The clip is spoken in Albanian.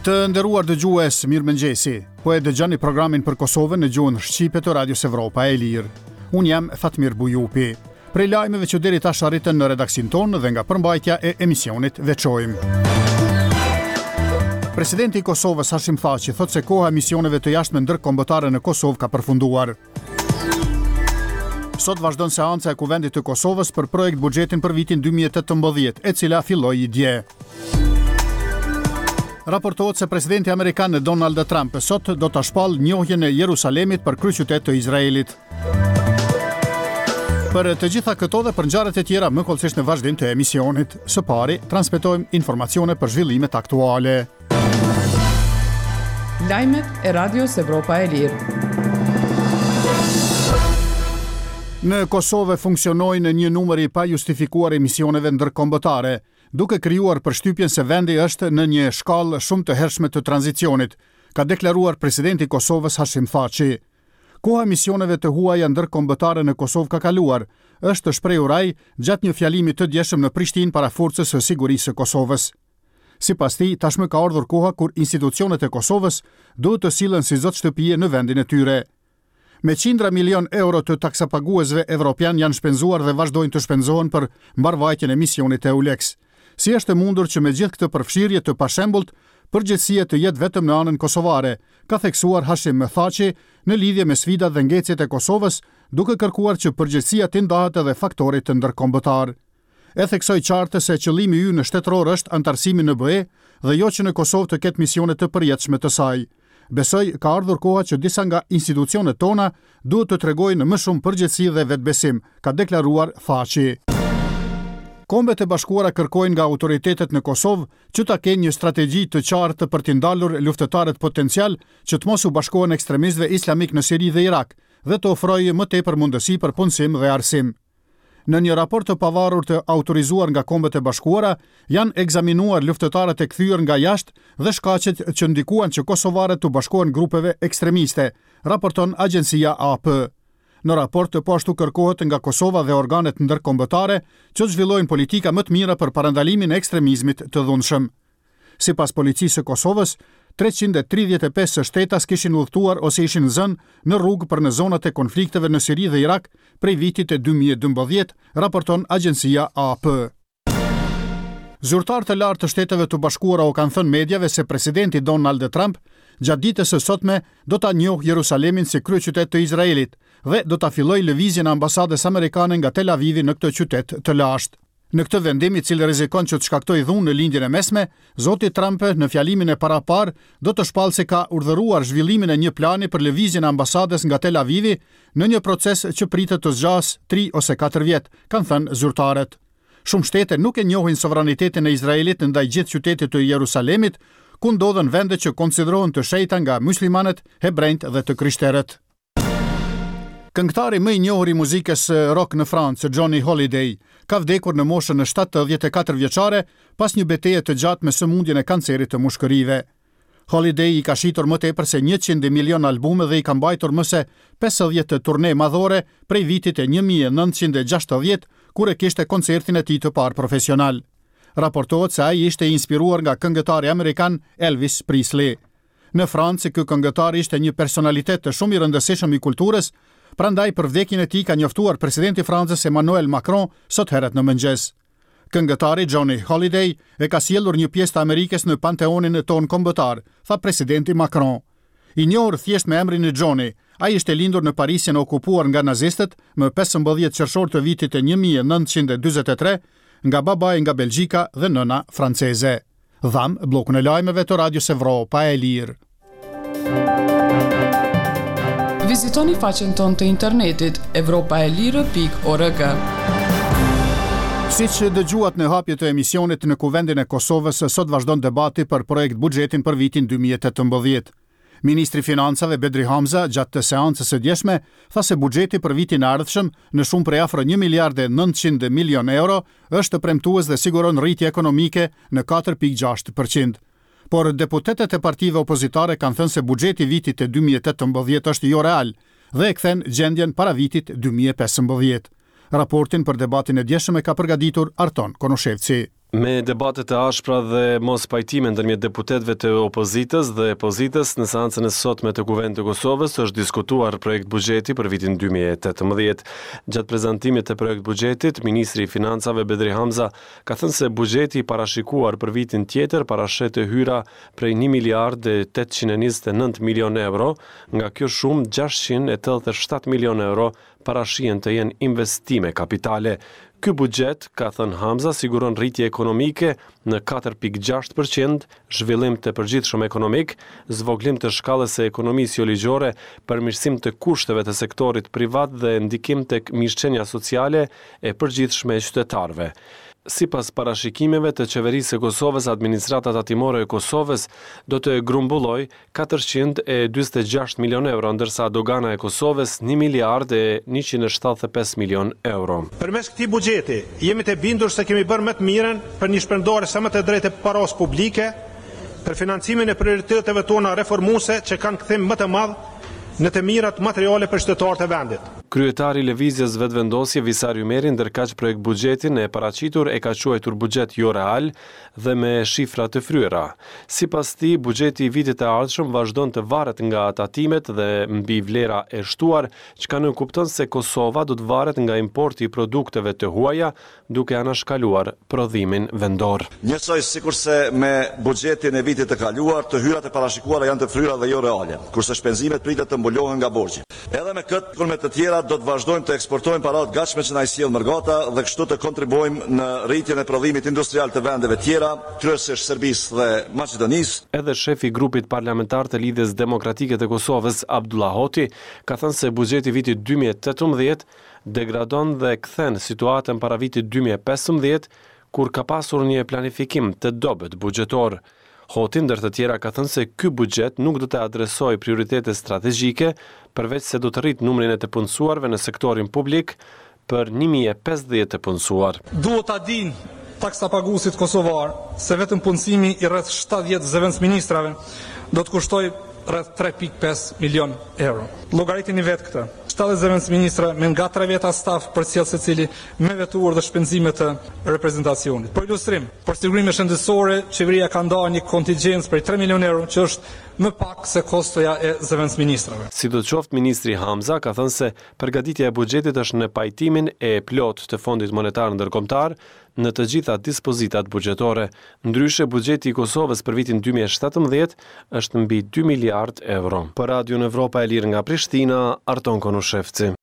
Të nderuar dëgjues, mirëmëngjesi. Po e dëgjoni programin për Kosovën në gjuhën shqipe të Radios Evropa e Lirë. Unë jam Fatmir Bujupi. Prej lajmeve që deri tash arritën në redaksinë tonë dhe nga përmbajtja e emisionit veçojmë. Presidenti i Kosovës Hashim Thaçi thotë se koha e misioneve të jashtme ndërkombëtare në Kosovë ka përfunduar. Sot vazhdon seanca e Kuvendit të Kosovës për projektbuxhetin për vitin 2018, e cila filloi dje. Raportohet se presidenti amerikan Donald Trump sot do ta shpallë njohjen e Jerusalemit për kryeqytet të Izraelit. Për të gjitha këto dhe për ngjarjet e tjera më hollësisht në vazhdim të emisionit. Së pari, transmetojmë informacione për zhvillimet aktuale. Lajmet e Radios Evropa e Lirë. Në Kosovë funksionojnë një numër i pajustifikuar i misioneve ndërkombëtare, duke krijuar përshtypjen se vendi është në një shkallë shumë të hershme të tranzicionit, ka deklaruar presidenti i Kosovës Hashim Thaçi. Koha e misioneve të huaja ndërkombëtare në Kosovë ka kaluar, është shprehur ai gjatë një fjalimi të djeshëm në Prishtinë para Forcës së Sigurisë së Kosovës. Sipas tij, tashmë ka ardhur koha kur institucionet e Kosovës duhet të sillen si zot shtëpie në vendin e tyre. Me qindra milionë euro të taksapaguesve evropianë janë shpenzuar dhe vazhdojnë të shpenzohen për mbarëvajtjen e misionit EULEX. Si është e mundur që me gjithë këtë përfshirje të pashembullt, përgjegjësia të jetë vetëm në anën kosovare, ka theksuar Hashim Thaçi në lidhje me sfidat dhe ngecjet e Kosovës, duke kërkuar që përgjegjësia t'i ndahet edhe faktorit ndërkombëtar. E theksoj qartë se qëllimi ynë shtetëror është anëtarësimi në BE dhe jo që në Kosovë të ketë misione të përjetshme të saj. Besoj ka ardhur koha që disa nga institucionet tona duhet të tregojnë më shumë përgjegjësi dhe vetëbesim, ka deklaruar Thaçi. Kombet e Bashkuara kërkojnë nga autoritetet në Kosovë që ta kenë një strategji të qartë për t'i ndalur luftëtarët potencialë që të mos u bashkohen ekstremistëve islamikë në Siri dhe Irak dhe të ofrojë më tepër mundësi për punësim dhe arsim. Në një raport të pavarur të autorizuar nga Kombet e Bashkuara, janë ekzaminuar luftëtarët e kthyer nga jashtë dhe shkaqet që ndikuan që kosovarët t'u bashkohen grupeve ekstremiste, raporton agjencia AP. Në raport po ashtu kërkohet nga Kosova dhe organet ndërkombëtare që të zhvillojnë politika më të mira për parandalimin e ekstremizmit të dhunshëm. Sipas Policisë së Kosovës, 335 shtetas kishin udhëtuar ose ishin zënë në rrugë për në zonat e konflikteve në Siri dhe Irak prej vitit 2012, raporton agjencia AP. Zyrtarë të lartë të Shteteve të Bashkuara u kanë thënë mediave se presidenti Donald Trump gjatë ditës së sotme do ta njohë Jerusalemin si kryeqytet të Izraelit dhe do ta fillojë lëvizjen e ambasadës amerikane nga Tel Avivi në këtë qytet të lashtë. Në këtë vendim, i cili rrezikon që të shkaktojë dhunë në Lindjen e Mesme, zoti Trump në fjalimin e paraparë do të shpallë se ka urdhëruar zhvillimin e një plani për lëvizjen e ambasadës nga Tel Avivi në një proces që pritet të zgjasë tri ose katër vjet, kanë thënë zyrtarët. Shumë shtete nuk e njohin sovranitetin e Izraelit ndaj gjithë qytetit të Jerusalemit, ku ndodhen vende që konsiderohen të shenjta nga myslimanët, hebrenjtë dhe të krishterët. Këngëtari më i njohur i muzikës rock në Francë, Johnny Hallyday, ka vdekur në moshën 74 vjeçare pas një beteje të gjatë me sëmundjen e kancerit të mushkërive. Hallyday i ka shitur më tepër se 100 milion albume dhe i ka mbajtur më se 50 turne madhore prej vitit 1960, kur e kishte koncertin e tij të parë profesional. Raportohet se ai ishte i inspiruar nga këngëtari amerikan Elvis Presley. Në Francë, ky këngëtar ishte një personalitet shumë i rëndësishëm i kulturës, prandaj për vdekjen e tij ka njoftuar presidenti i Francës Emmanuel Macron sot herët në mëngjes. Këngëtari Johnny Hallyday e ka sjellur një pjesë të Amerikës në panteonin tonë kombëtar, tha presidenti Macron. I njohur thjesht me emrin e Johnny, ai ishte lindur në Parisin e okupuar nga nazistët më 15 qershor të vitit 1943 nga babai nga Belgjika dhe nëna franceze. Dhamë bllokun e lajmeve të Radios Evropa e Lirë. Vizitoni faqen tonë të internetit evropaelire.org. Siç dëgjuat në hapje të emisionit në Kuvendin e Kosovës, sot vazhdon debati për projektbuxhetin për vitin 2018. Ministri i Financave, Bedri Hamza, gjatë seancës së djeshme, tha se buxheti për vitin e ardhshëm, në shumë prej afro një miliard e 900 milionë euro, është premtues dhe siguron rritje ekonomike në 4.6 për qind. Por deputetët e partive opozitare kanë thënë se buxheti i vitit 2018 është joreal dhe e kthen gjendjen para vitit 2015. Raportin për debatin e djeshëm e ka përgatitur Arton Konushevci. Me debate të ashpra dhe mospajtime ndërmjet deputetëve të opozitës dhe pozitës, në seancën e sotme të Kuvendit të Kosovës është diskutuar projektbuxheti për vitin 2018. Gjatë prezantimit të projektbuxhetit, ministri i Financave Bedri Hamza ka thënë se buxheti i parashikuar për vitin tjetër parasheh të hyra prej 1 miliard e 829 milionë euro, nga kjo shumë 687 milionë euro parashihen të jenë investime kapitale. Ky buxhet, ka thënë Hamza, siguron rritje ekonomike në 4.6 për qind, zhvillim të përgjithshëm ekonomik, zvogëlim të shkallës së ekonomisë joligjore, përmirësim të kushteve të sektorit privat dhe ndikim tek mirëqenia sociale e përgjithshme e qytetarëve. Sipas parashikimeve të Qeverisë së Kosovës, Administrata Tatimore e Kosovës do të grumbullojë 446 milionë euro, ndërsa Dogana e Kosovës një miliard e 175 milionë euro. Përmes këtij buxheti, jemi të bindur se kemi bërë më të mirën për një shpërndarje sa më të drejtë të parasë publike, për financimin e prioriteteve tona reformuese që kanë kthim më të madh në të mirat materiale për qytetarët e vendit. Kryetari i Lëvizjes Vetëvendosje, Visar Ymeri, ndërkaq projektbuxhetin e paraqitur e ka quajtur buxhet joreal dhe me shifra të fryra. Sipas tij, buxheti i vitit të ardhshëm vazhdon të varet nga tatimet dhe mbi vlera e shtuar, çka nënkupton se Kosova do të varet nga importi i produkteve të huaja, duke anashkaluar prodhimin vendor. Njësoj sikurse me buxhetin e vitit të kaluar, të hyrat e parashikuara janë të fryra dhe jo reale, kurse shpenzimet pritet të mbulohen nga borxhi. Edhe me këtë, por me të tjera, do të vazhdojmë të eksportojmë para të gatshme që na i sjell mërgata dhe kështu të kontribuojmë në rritjen e prodhimit industrial të vendeve tjera, kryesisht Serbisë dhe Maqedonisë. Edhe shefi i grupit parlamentar të Lidhjes Demokratike të Kosovës, Avdullah Hoti, ka thënë se buxheti i vitit 2018 degradon dhe kthen situatën para vitit 2015, kur ka pasur një planifikim të dobët buxhetor. Hoti ndër të tjera ka thënë se ky buxhet nuk do të adresojë prioritete strategjike, përveç se do të rritë numrin e të punësuarve në sektorin publik për 1050 të punësuar. Duhet ta dinë taksapaguesit kosovarë se vetëm punësimi i rreth 70 zëvendësministrave do të kushtojë rreth 3.5 milion euro. Llogaritini vetë këtë. 70 zëvendësministra me nga 3 veta staf përcjellës secili me veturë dhe shpenzime të reprezentacionit. Për ilustrim, për sigurime shëndetësore, qeveria ka ndarë një kontigjencë prej 3 milion euro, që është më pak se kostoja e zëvendësministrave. Sidoqoftë, ministri Hamza ka thënë se përgatitja e buxhetit është në pajtimin e plotë të Fondit Monetar Ndërkombëtar në të gjitha dispozitat buxhetore. Ndryshe, buxheti i Kosovës për vitin 2017 është mbi 2 miliard euro. Për Radion Evropa e Lirë nga Prishtina, Arton Konushevci.